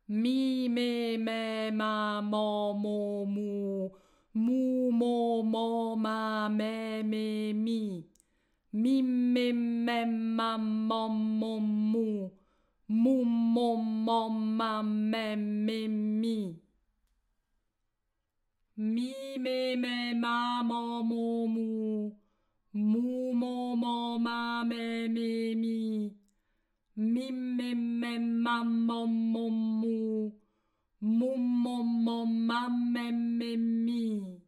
Mi, me, ma, mo, mu. Mu, mo, ma, me, mi. Mi, ma, mo, mu. Mu, ma, me, mi. Mi, ma, mo, mu. Mu, ma, me, mi. Mi, ma, mo, mu. Mu, ma, me, mi.